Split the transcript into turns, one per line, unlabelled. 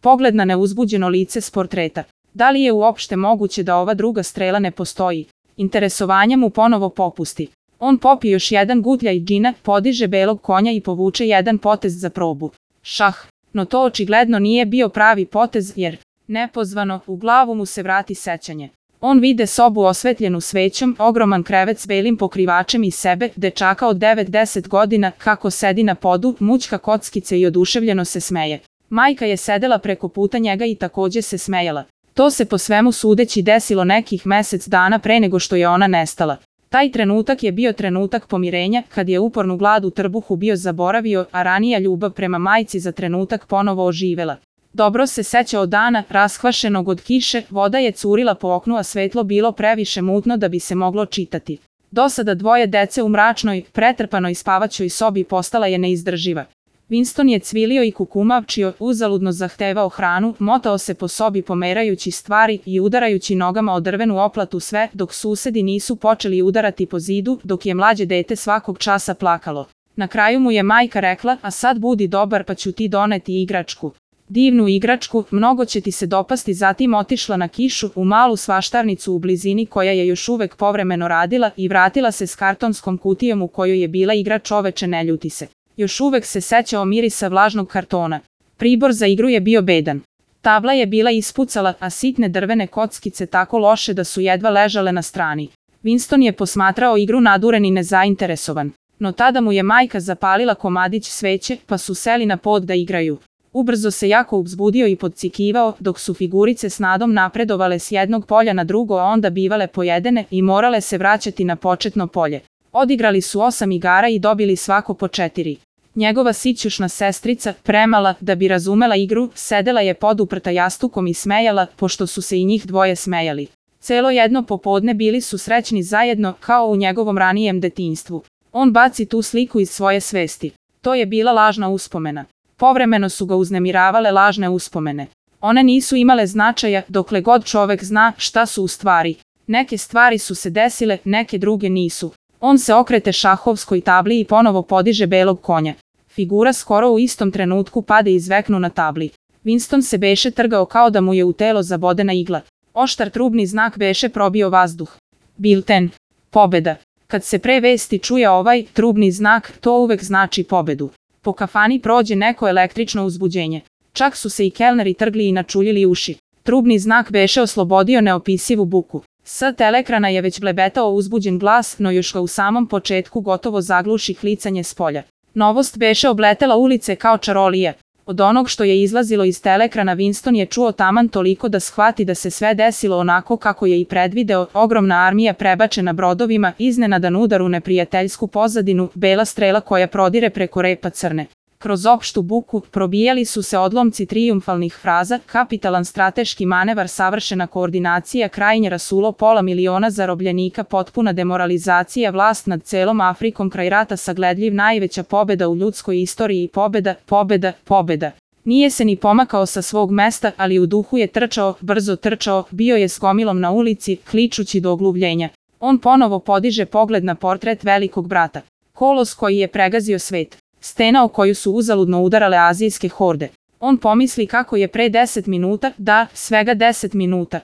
Pogled na neuzbuđeno lice s portreta. Da li je uopšte moguće da ova druga strela ne postoji? Interesovanje mu ponovo popusti. On popije još jedan gutljaj džina, podiže belog konja i povuče jedan potez za probu. Šah, no to očigledno nije bio pravi potez jer, nepozvano, u glavu mu se vrati sećanje. On vide sobu osvetljenu svećom, ogroman krevet s belim pokrivačem i sebe, dečaka od 9-10 godina, kako sedi na podu, mućka kockice i oduševljeno se smeje. Majka je sedela preko puta njega i takođe se smejala. To se po svemu sudeći desilo nekih mesec dana pre nego što je ona nestala. Taj trenutak je bio trenutak pomirenja, kad je upornu glad u trbuhu bio zaboravio, a ranija ljubav prema majci za trenutak ponovo oživela. Dobro se sećao dana, raskvašenog od kiše, voda je curila po oknu, a svetlo bilo previše mutno da bi se moglo čitati. Dosada dvoje dece u mračnoj, pretrpanoj spavaćoj sobi postala je neizdrživa. Winston je cvilio i kukumavčio, uzaludno zahtevao hranu, motao se po sobi pomerajući stvari i udarajući nogama o drvenu oplatu sve, dok susedi nisu počeli udarati po zidu, dok je mlađe dete svakog časa plakalo. Na kraju mu je majka rekla, a sad budi dobar pa ću ti doneti igračku. Divnu igračku, mnogo će ti se dopasti. Zatim otišla na kišu, u malu svaštarnicu u blizini koja je još uvek povremeno radila i vratila se s kartonskom kutijom u kojoj je bila igra Čoveče ne ljuti se. Još uvek se sećao mirisa vlažnog kartona. Pribor za igru je bio bedan. Tabla je bila ispucala, a sitne drvene kockice tako loše da su jedva ležale na strani. Winston je posmatrao igru naduren i nezainteresovan. No tada mu je majka zapalila komadić sveće, pa su seli na pod da igraju. Ubrzo se jako uzbudio i podcikivao, dok su figurice s nadom napredovale s jednog polja na drugo, a onda bivale pojedene i morale se vraćati na početno polje. Odigrali su 8 igara i dobili svako po 4. Njegova sićušna sestrica, premala da bi razumela igru, sedela je poduprta jastukom i smejala, pošto su se i njih dvoje smejali. Celo jedno popodne bili su srećni zajedno, kao u njegovom ranijem detinjstvu. On baci tu sliku iz svoje svesti. To je bila lažna uspomena. Povremeno su ga uznemiravale lažne uspomene. One nisu imale značaja, dokle god čovek zna šta su u stvari. Neke stvari su se desile, neke druge nisu. On se okrete šahovskoj tabli i ponovo podiže belog konja. Figura skoro u istom trenutku pade iz veknu na tabli. Winston se beše trgao kao da mu je u telo zabodena igla. Oštar trubni znak beše probio vazduh. Bilten. Pobeda. Kad se pre vesti čuje ovaj trubni znak, to uvek znači pobedu. Po kafani prođe neko električno uzbuđenje. Čak su se i kelneri trgli i načuljili uši. Trubni znak beše oslobodio neopisivu buku. S telekrana je već blebetao uzbuđen glas, no još ga u samom početku gotovo zagluši klicanje s polja. Novost beše obletela ulice kao čarolija. Od onog što je izlazilo iz telekrana Winston je čuo taman toliko da shvati da se sve desilo onako kako je i predvideo, ogromna armija prebačena brodovima, iznenadan udar u neprijateljsku pozadinu, bela strela koja prodire preko repa crne. Kroz opštu buku probijali su se odlomci trijumfalnih fraza, kapitalan strateški manevar, savršena koordinacija, krajnje rasulo, pola miliona zarobljenika, potpuna demoralizacija, vlast nad celom Afrikom, kraj rata sagledljiv, najveća pobeda u ljudskoj istoriji, pobeda, pobeda, pobeda. Nije se ni pomakao sa svog mesta, ali u duhu je trčao, brzo trčao, bio je s gomilom na ulici, kličući do ogluvljenja. On ponovo podiže pogled na portret velikog brata. Kolos koji je pregazio svet. Stena o koju su uzaludno udarale azijske horde. On pomisli kako je pre 10 minuta, da, svega 10 minuta,